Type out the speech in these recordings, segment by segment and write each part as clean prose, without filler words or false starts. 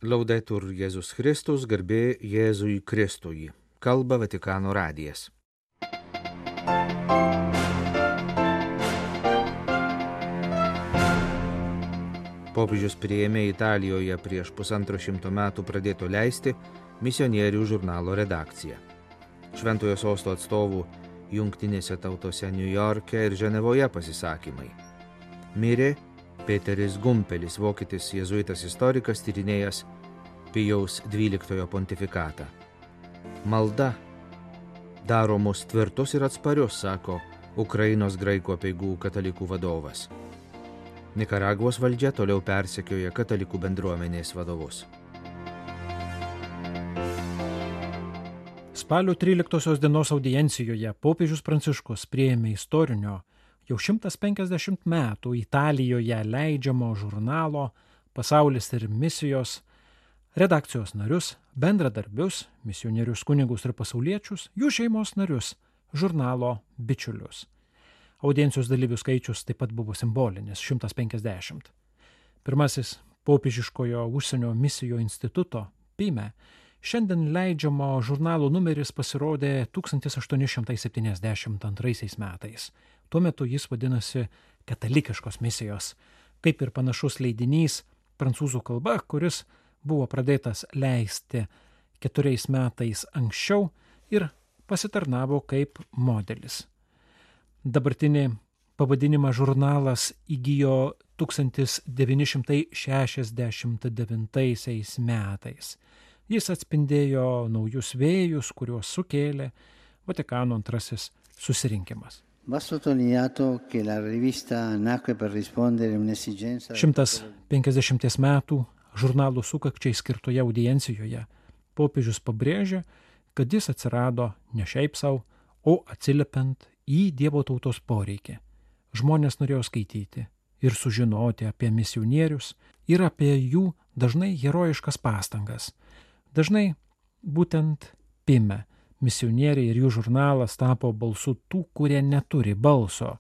Laudetur Jėzus Kristus, garbė Jėzui Kristui. Kalba Vatikano radijas. Popiežius priėmė Italijoje prieš 150 metų pradėto leisti misionierių žurnalo redakciją. Šventojo sosto atstovų Jungtinėse tautose Niujorke ir Ženevoje pasisakymai. Mirė Peteris Gumpelis, vokietis jėzuitas istorikas, tyrinėjęs Pijaus XII pontifikatą. Malda daro mus tvirtus ir atsparius, sako Ukrainos graikų apeigų katalikų vadovas. Nikaragvos valdžia toliau persekioja katalikų bendruomenės vadovus. Spalio 13 dienos audiencijoje popiežius Pranciškus priėmė istorinio jau 150 metų Italijoje leidžiamo žurnalo Pasaulis ir misijos redakcijos narius, bendradarbius, misionierius kunigus ir pasauliečius, jų šeimos narius, žurnalo bičiulius. Audiencijos dalyvių skaičius taip pat buvo simbolinis – 150. Pirmasis popiežiškojo užsienio misijų instituto PIME šiandien leidžiamo žurnalo numeris pasirodė 1872 metais. Tuo metu jis vadinasi Katalikiškos misijos, kaip ir panašus leidinys prancūzų kalba, kuris buvo pradėtas leisti 4 metais anksčiau ir pasitarnavo kaip modelis. Dabartinį pavadinimą žurnalas įgijo 1969 metais. Jis atspindėjo naujus vėjus, kuriuos sukėlė Vatikano antrasis susirinkimas. 150 metų žurnalų sukakčiai skirtoje audiencijoje popiežius pabrėžė, kad jis atsirado ne šiaip sau, o atsiliepiant į Dievo tautos poreikį. Žmonės norėjo skaityti ir sužinoti apie misionierius ir apie jų dažnai herojiškas pastangas. Dažnai būtent PIME misionieriai ir jų žurnalas tapo balsu tų, kurie neturi balso,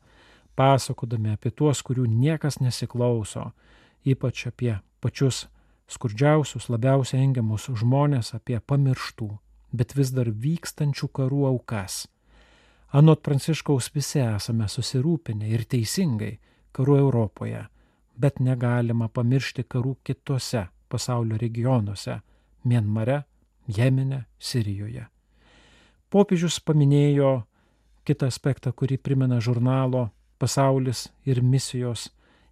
pasakodami apie tuos, kurių niekas nesiklauso, ypač apie pačius skurdžiausius, labiausiai engiamus žmonės, apie pamirštų, bet vis dar vykstančių karų aukas. Anot Pranciškaus visi esame susirūpinę ir teisingai karų Europoje, bet negalima pamiršti karų kitose pasaulio regionuose – Mianmare, Jemene, Sirijoje. Popiežius paminėjo kitą aspektą, kurį primena žurnalo Pasaulis ir misijos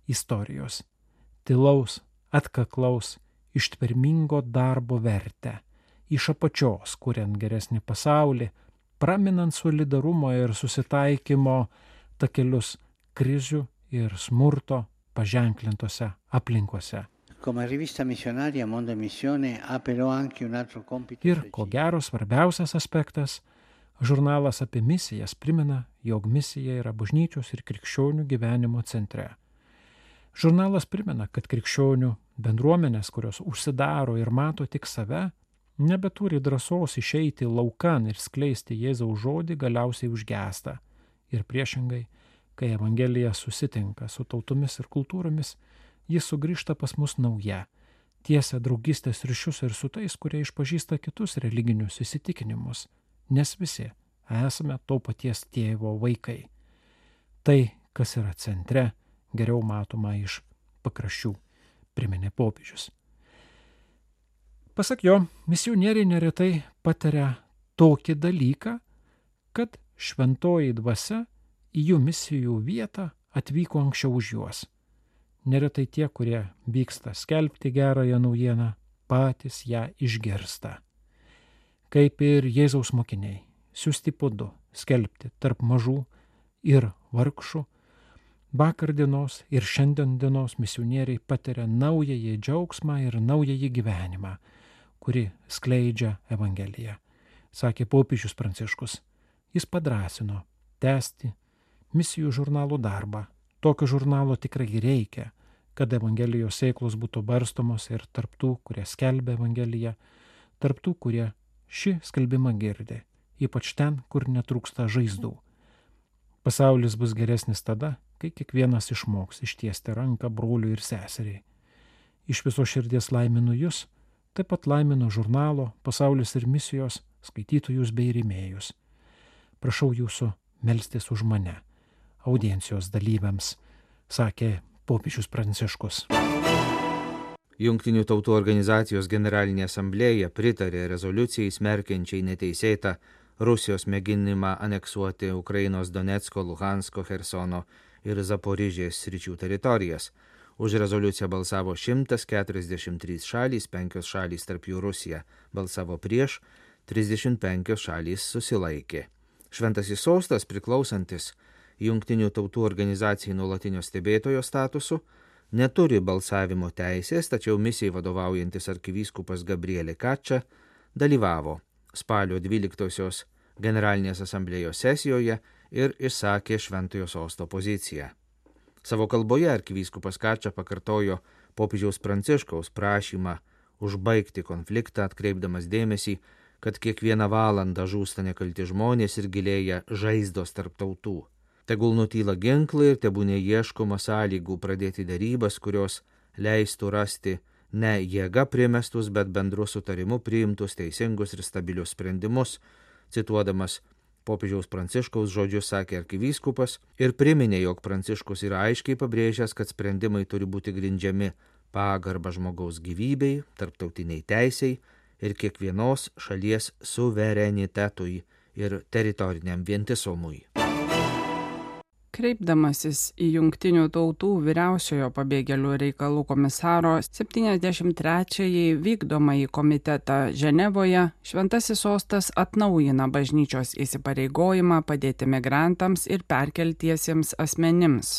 istorijos. Tylaus, atkaklaus, ištvermingo darbo vertę. Iš apačios, kuriant geresnį pasaulį, praminant solidarumo ir susitaikymo takelius krizių ir smurto paženklintose aplinkose. Ir, ko gero, svarbiausias aspektas, žurnalas apie misijas primena, jog misija yra bažnyčios ir krikščionių gyvenimo centre. Žurnalas primena, kad krikščionių bendruomenės, kurios užsidaro ir mato tik save, nebeturi drąsos išeiti laukan ir skleisti Jėzaus žodį, galiausiai užgęsta. Ir priešingai, kai Evangelija susitinka su tautomis ir kultūromis, jis sugrįžta pas mus nauja, tiesia draugystės ryšius ir su tais, kurie išpažįsta kitus religinius įsitikinimus, nes visi esame to paties tėvo vaikai. Tai, kas yra centre, geriau matoma iš pakraščių, priminė popiežius. Pasak jo, misionieriai neretai patiria tokį dalyką, kad šventoji dvasia į jų misijų vietą atvyko anksčiau už juos. Neretai tie, kurie vyksta skelbti gerąją naujieną, patys ją išgirsta. Kaip ir Jėzaus mokiniai, siųsti po 2, skelbti tarp mažų ir vargšų, vakar dienos ir šiandien dienos misionieriai patiria naująjį džiaugsmą ir naująjį gyvenimą, kuri skleidžia Evangeliją. Sakė popiežius Pranciškus. Jis padrąsino tęsti misijų žurnalų darbą. Tokio žurnalo tikrai reikia, kad Evangelijos sėklos būtų barstomos ir tarptų, kurie skelbia Evangeliją, tarptų, kurie šį skelbimą girdi, ypač ten, kur netrūksta žaizdų. Pasaulis bus geresnis tada, kai kiekvienas išmoks ištiesti ranką broliui ir seseriai. Iš viso širdies laiminu jūs, Taip pat laimino žurnalo Pasaulis ir misijos skaitytojus bei rėmėjus. Prašau jūsų melstis už mane, audiencijos dalyviams, sakė popiežius Pranciškus. Jungtinių tautų organizacijos generalinė asamblėja pritarė rezoliucijai smerkiančiai neteisėtą Rusijos mėginimą aneksuoti Ukrainos Donecko, Luhansko, Chersono ir Zaporižės sričių teritorijas. Už rezoliuciją balsavo 143 šalys, 5 šalys tarp jų Rusija balsavo prieš, 35 šalys susilaikė. Šventasis sostas, priklausantis Jungtinių tautų organizacijai nuolatinio stebėtojo statusu, neturi balsavimo teisės, tačiau misijai vadovaujantis arkivyskupas Gabrielė Kačia dalyvavo spalio 12-osios generalinės asamblėjos sesijoje ir išsakė Šventojo sosto poziciją. Savo kalboje arkivyskupas Kačia pakartojo popiežiaus Pranciškaus prašymą užbaigti konfliktą, atkreipdamas dėmesį, kad kiekvieną valandą žūsta nekalti žmonės ir gilėja žaizdos tarp tautų. Tegul nutyla ginklai ir tebūnė ieškoma sąlygų pradėti darybas, kurios leistų rasti ne jėga primestus, bet bendru sutarimu priimtus teisingus ir stabilius sprendimus. Cituodamas popiežiaus Pranciškaus žodžius sakė arkivyskupas ir priminė, jog Pranciškus yra aiškiai pabrėžęs, kad sprendimai turi būti grindžiami pagarba žmogaus gyvybei, tarptautiniai teisei ir kiekvienos šalies suverenitetui ir teritoriniam vientisumui. Kreipdamasis į Jungtinių tautų vyriausiojo pabėgėlių reikalų komisaro 73-ąjį vykdomąjį komitetą Ženevoje, Šventasis sostas atnaujina bažnyčios įsipareigojimą padėti migrantams ir perkeltiesiems asmenims.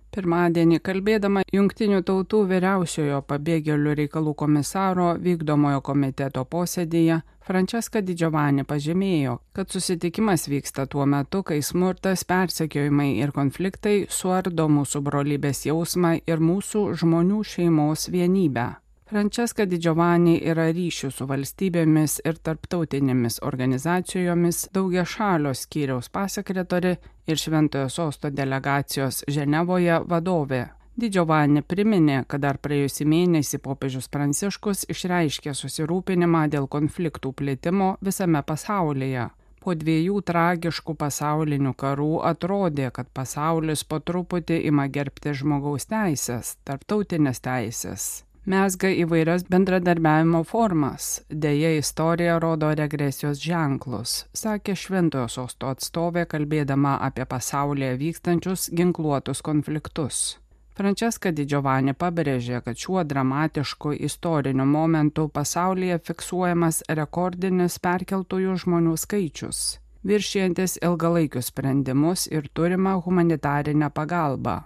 Pirmadienį kalbėdama Jungtinių tautų vyriausiojo pabėgėlių reikalų komisaro vykdomojo komiteto posėdyje, Francesca Di Giovanni pažymėjo, kad susitikimas vyksta tuo metu, kai smurtas, persekiojimai ir konfliktai suardo mūsų brolybės jausmą ir mūsų žmonių šeimos vienybę. Francesca Di Giovanni yra ryšių su valstybėmis ir tarptautinėmis organizacijomis daugiašalio skyriaus pasekretorė ir Šventojo sosto delegacijos Ženevoje vadovė. Di Giovanni priminė, kad dar praėjusį mėnesį popiežius Pranciškus išreiškė susirūpinimą dėl konfliktų plitimo visame pasaulyje. Po 2 tragiškų pasaulinių karų atrodė, kad pasaulis po truputį ima gerbti žmogaus teisės, tarptautinės teisės. Mezga įvairias bendradarbiavimo formas. Deja, istorija rodo regresijos ženklus, sakė Šventojo sosto atstovė, kalbėdama apie pasaulyje vykstančius ginkluotus konfliktus. Francesca Di Giovanni pabrėžė, kad šiuo dramatišku istoriniu momentu pasaulyje fiksuojamas rekordinis perkeltųjų žmonių skaičius, viršijantis ilgalaikius sprendimus ir turimą humanitarinę pagalbą.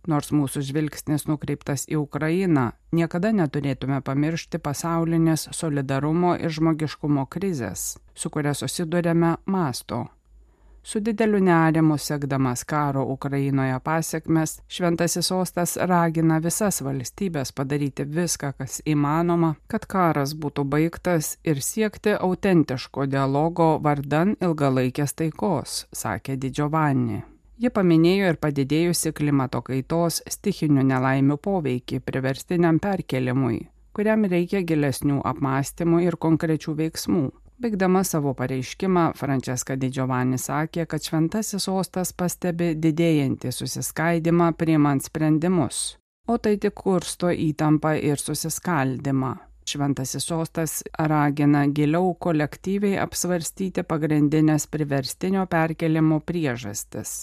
Nors mūsų žvilgsnis nukreiptas į Ukrainą, niekada neturėtume pamiršti pasaulinės solidarumo ir žmogiškumo krizės, su kuria susidurėme masto. Su dideliu nerimu sekdamas karo Ukrainoje pasekmes, Šventasis sostas ragina visas valstybės padaryti viską, kas įmanoma, kad karas būtų baigtas ir siekti autentiško dialogo vardan ilgalaikės taikos, sakė Di Giovanni. Ji paminėjo ir padidėjusi klimato kaitos stichinių nelaimių poveikį priverstiniam perkelimui, kuriam reikia gilesnių apmąstymų ir konkrečių veiksmų. Baigdama savo pareiškimą, Francesca Di Giovanni sakė, kad Šventasis sostas pastebi didėjantį susiskaidimą priimant sprendimus, o tai tik kursto įtampą ir susiskaldimą. Šventasis sostas ragina giliau kolektyviai apsvarstyti pagrindinės priverstinio perkelimo priežastis.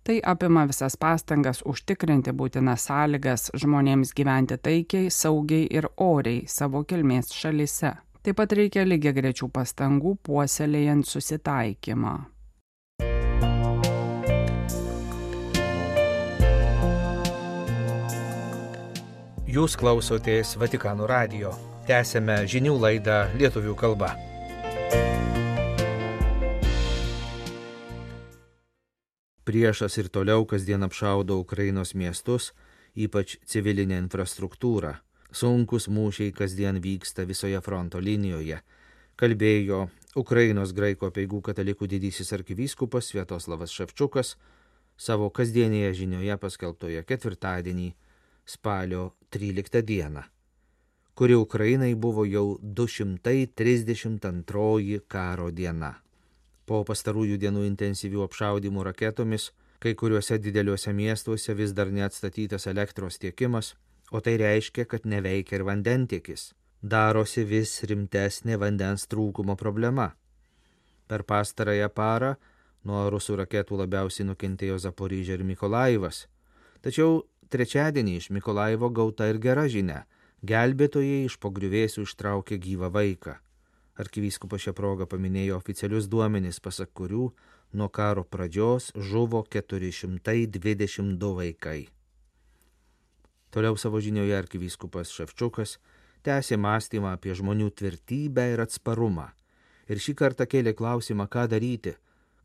Tai apima visas pastangas užtikrinti būtinas sąlygas žmonėms gyventi taikiai, saugiai ir oriai savo kilmės šalyse. Taip pat reikia lygiagrečių pastangų puoselėjant susitaikymą. Jūs klausotės Vatikano radijo. Tęsėme žinių laidą lietuvių kalba. Priešas ir toliau kasdien apšaudo Ukrainos miestus, ypač civilinę infrastruktūrą. Sunkus mūšiai kasdien vyksta visoje fronto linijoje, kalbėjo Ukrainos graikų apeigų katalikų didysis arkivyskupas Sviatoslavas Ševčukas savo kasdienėje žinioje paskelbtoje ketvirtadienį spalio 13 dieną. kuri Ukrainai buvo jau 232 karo diena. Po pastarųjų dienų intensyvių apšaudymų raketomis, kai kuriuose dideliuose miestuose vis dar neatstatytas elektros tiekimas, o tai reiškia, kad neveikia ir vandentiekis. Darosi vis rimtesnė vandens trūkumo problema. Per pastarąją parą nuo rusų raketų labiausiai nukentėjo Zaporižė ir Mikolajivas. Tačiau trečiadienį iš Mikolaivo gauta ir gera žinia. Gelbėtojai iš po griuvėsių ištraukė gyvą vaiką. Arkivyskupas šią progą paminėjo oficialius duomenis, pasak kurių nuo karo pradžios žuvo 422 vaikai. Toliau savo žinioje arkivyskupas Ševčiukas tęsė mąstymą apie žmonių tvirtybę ir atsparumą. Ir šį kartą kėlė klausimą, ką daryti,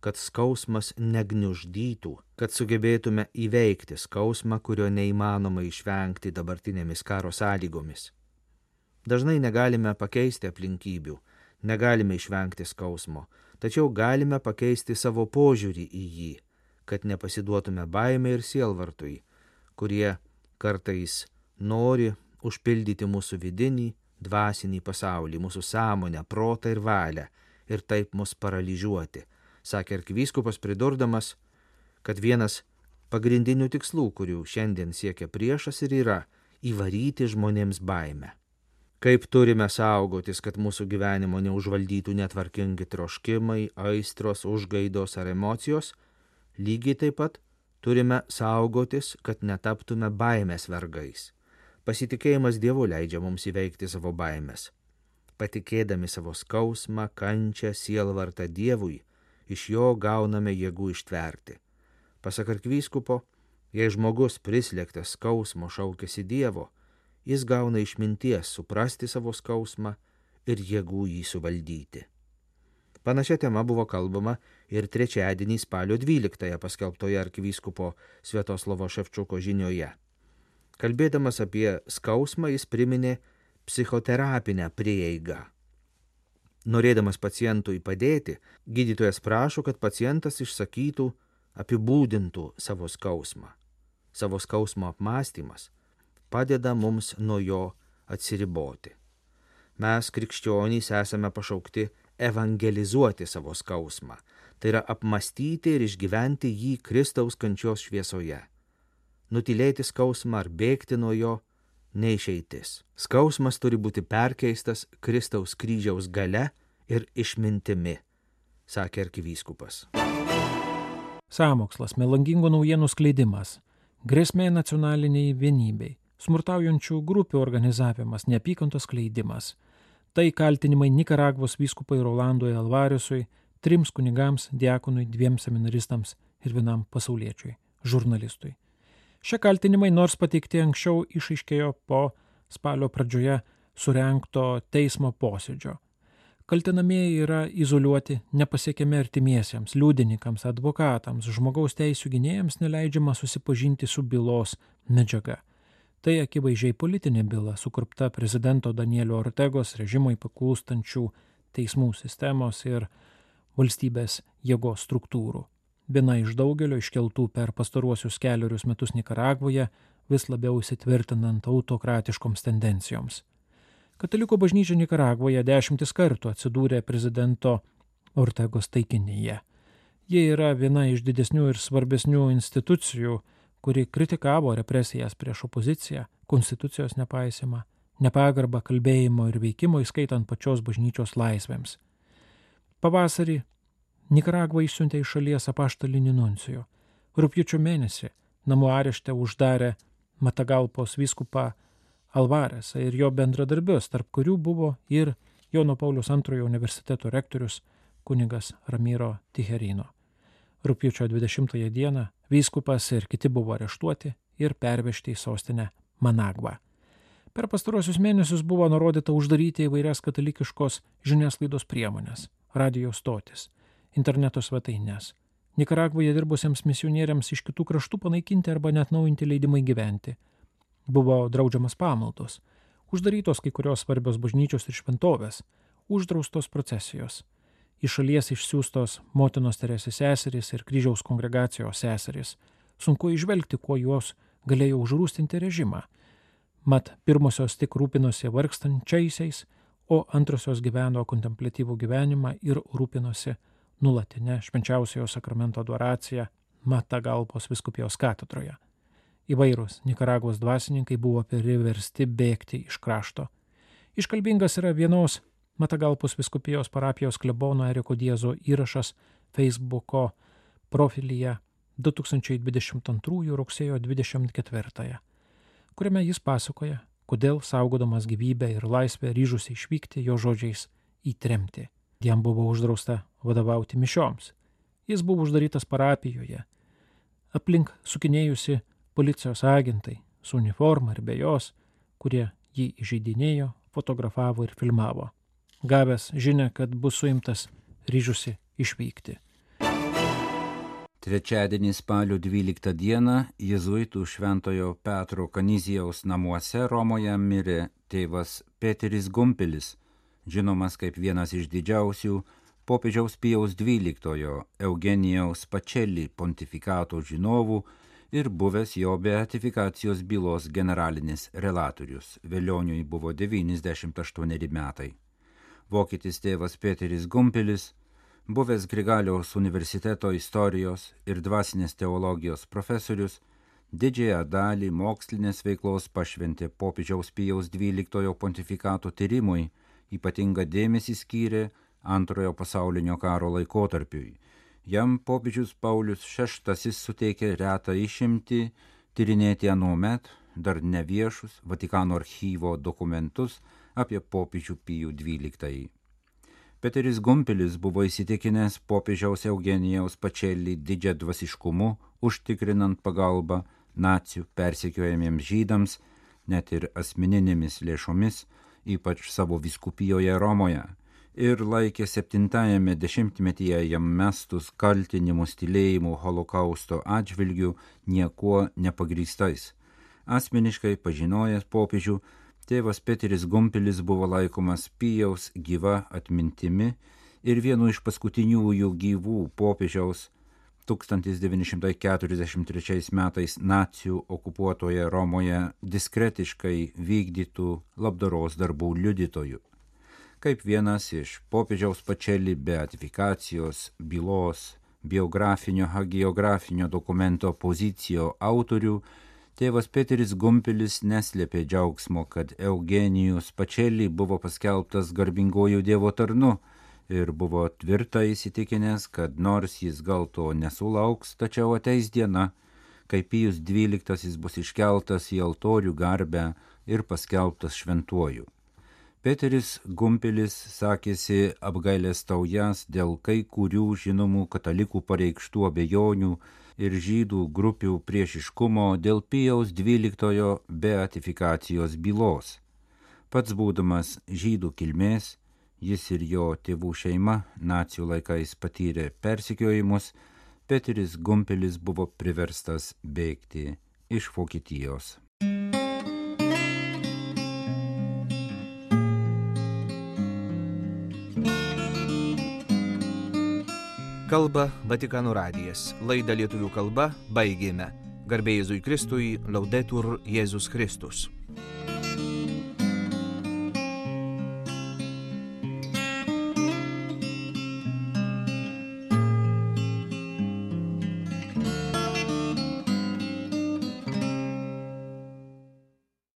kad skausmas negniuždytų, kad sugebėtume įveikti skausmą, kurio neįmanoma išvengti dabartinėmis karo sąlygomis. Dažnai negalime pakeisti aplinkybių, negalime išvengti skausmo, tačiau galime pakeisti savo požiūrį į jį, kad nepasiduotume baimei ir sielvartui, kurie kartais nori užpildyti mūsų vidinį, dvasinį pasaulį, mūsų sąmonę, protą ir valią ir taip mus paralyžiuoti, sakė arkivyskupas pridurdamas, kad vienas pagrindinių tikslų, kurių šiandien siekia priešas ir yra įvaryti žmonėms baimę. Kaip turime saugotis, kad mūsų gyvenimo neužvaldytų netvarkingi troškimai, aistros, užgaidos ar emocijos, lygiai taip pat turime saugotis, kad netaptume baimės vergais. Pasitikėjimas Dievu leidžia mums įveikti savo baimės. Patikėdami savo skausmą, kančią, sielvartą Dievui, iš jo gauname jėgų ištverti. Pasak arkivyskupo, jei žmogus prislėgtas skausmo šaukiasi Dievo, jis gauna išminties suprasti savo skausmą ir jėgų jį suvaldyti. Panašia tema buvo kalbama ir trečiadienį spalio 12 paskelbtoje arkivyskupo Sviatoslovo Ševčiuko žinioje. Kalbėdamas apie skausmą, jis priminė psichoterapinę prieigą. Norėdamas pacientui padėti, gydytojas prašo, kad pacientas išsakytų, apibūdintų savo skausmą. Savo skausmo apmąstymas padeda mums nuo jo atsiriboti. Mes, krikščionys, esame pašaukti evangelizuoti savo skausmą, tai yra apmąstyti ir išgyventi jį Kristaus kančios šviesoje. Nutylėti skausmą ar bėgti nuo jo neišeitis. Skausmas turi būti perkeistas Kristaus kryžiaus galia ir išmintimi, sakė arkivyskupas. Sąmokslas, melagingų naujienų skleidimas, grėsmė nacionaliniai vienybei, smurtaujančių grupių organizavimas, neapykantos skleidimas. Tai kaltinimai Nikaragvos vyskupui Rolandui Alvaresui, 3 kunigams, diakonui, 2 seminaristams ir 1 pasauliečiui, žurnalistui. Šie kaltinimai, nors pateikti anksčiau, išaiškėjo po spalio pradžioje surengto teismo posėdžio. Kaltinamieji yra izoliuoti, nepasiekiami artimiesiems, liudininkams, advokatams, žmogaus teisių gynėjams neleidžiama susipažinti su bylos medžiaga. Tai akivaizdžiai politinė byla, sukurpta prezidento Danielio Ortegos režimui paklūstančių teismų sistemos ir valstybės jėgos struktūrų. Viena iš daugelio iškeltų per pastaruosius 4 metus Nikaragvoje, vis labiau įsitvirtinant autokratiškoms tendencijoms. Katalikų bažnyčia Nikaragvoje 10 kartų atsidūrė prezidento Ortegos taikinyje. Jie yra viena iš didesnių ir svarbesnių institucijų, kuri kritikavo represijas prieš opoziciją, konstitucijos nepaisimą, nepagarbą kalbėjimo ir veikimo, įskaitant pačios bažnyčios laisvėms. Pavasarį Nikaragva išsiuntė iš šalies apaštalinį nuncijų. Rugpjūčio mėnesį namų arešte uždarė Matagalpos vyskupą Alvaresą ir jo bendradarbius, tarp kurių buvo ir Jono Pauliaus II universiteto rektorius kunigas Ramiro Tijerino. Rugpjūčio 20 dieną vyskupas ir kiti buvo areštuoti ir pervežti į sostinę Managvą. Per pastaruosius mėnesius buvo nurodyta uždaryti įvairias katalikiškos žiniasklaidos priemonės, radijo stotis, interneto svetaines. Nikaragvoje dirbusiems misionieriams iš kitų kraštų panaikinti arba net naujinti leidimai gyventi. Buvo draudžiamas pamaldos, uždarytos kai kurios svarbios bažnyčios ir šventovės, uždraustos procesijos. Iš šalies išsiųstos motinos Teresės seserys ir kryžiaus kongregacijos seserys. Sunku įžvelgti, kuo juos galėjo užrūstinti režimą. Mat pirmosios tik rūpinosi vargstančiaisiais, o antrosios gyveno kontempliatyvų gyvenimą ir rūpinosi nuolatinę švenčiausiojo sakramento adoraciją Matagalpos vyskupijos katedroje. Įvairūs Nikaragvos dvasininkai buvo priversti bėgti iš krašto. Iškalbingas yra vienos Matagalpos vyskupijos parapijos klebono Eriko Diezo įrašas Facebooko profilyje 2022 rugsėjo 24, kuriame jis pasakoja, kodėl saugodamas gyvybę ir laisvę ryžusi išvykti jo žodžiais į tremtį. Jam buvo uždrausta vadovauti mišioms. Jis buvo uždarytas parapijoje. Aplink sukinėjusi policijos agentai su uniforma ir be jos, kurie jį įžeidinėjo, fotografavo ir filmavo. Gavęs žinią, kad bus suimtas, ryžusi išvykti. Trečiadienį spalio 12 dieną jėzuitų Šventojo Petro Kanizijaus namuose Romoje mirė tėvas Peteris Gumpilis, žinomas kaip vienas iš didžiausių popiežiaus Pijaus XII Eugenijaus Pacelli pontifikato žinovų ir buvęs jo beatifikacijos bylos generalinis relatorius. Velioniui buvo 98 metai. Vokietis tėvas Peteris Gumpilis, buvęs Grigaliaus universiteto istorijos ir dvasinės teologijos profesorius, didžiąją dalį mokslinės veiklos pašventė popiežiaus Pijaus XII pontifikato tyrimui, ypatingą dėmesį skyrė Antrojo pasaulinio karo laikotarpiui. Jam popiežius Paulius VI suteikė retą išimtį tyrinėti anuomet dar neviešus Vatikano archyvo dokumentus apie popiežių Pijų XII. Peteris Gumpilis buvo įsitikinęs popiežiaus Eugenijaus Pacelli didžią dvasiškumu, užtikrinant pagalbą nacių persekiojamiems žydams, net ir asmeninėmis lėšomis, ypač savo vyskupijoje Romoje, ir laikė 70-ame dešimtmetyje jam mestus kaltinimus tylėjimu holokausto atžvilgiu niekuo nepagrįstais. Asmeniškai pažinojęs popiežių, tėvas Peteris Gumpilis buvo laikomas Pijaus gyva atmintimi ir vienu iš paskutiniųjų gyvų popiežiaus 1943 metais nacių okupuotoje Romoje diskretiškai vykdytų labdaros darbų liudytojų. Kaip vienas iš popiežiaus Pacelli beatifikacijos bylos biografinio hagiografinio dokumento pozicijo autorių, tėvas Peteris Gumpilis neslėpė džiaugsmo, kad Eugenijus Pacelli buvo paskelbtas garbinguoju Dievo tarnu ir buvo tvirtai įsitikinęs, kad nors jis gal to nesulauks, tačiau ateis diena, kai Pijus XII bus iškeltas į altorių garbę ir paskelbtas šventuoju. Peteris Gumpilis sakėsi apgailestaująs dėl kai kurių žinomų katalikų pareikštų abejonių ir žydų grupių priešiškumo dėl Pijaus XII beatifikacijos bylos. Pats būdamas žydų kilmės, jis ir jo tėvų šeima nacių laikais patyrė persekiojimus, Peteris Gumpilis buvo priverstas bėgti iš Vokietijos. Kalba Vatikano radijas. Laidą lietuvių kalba baigėme. Garbė Jėzui Kristui, Laudetur Jėzus Kristus.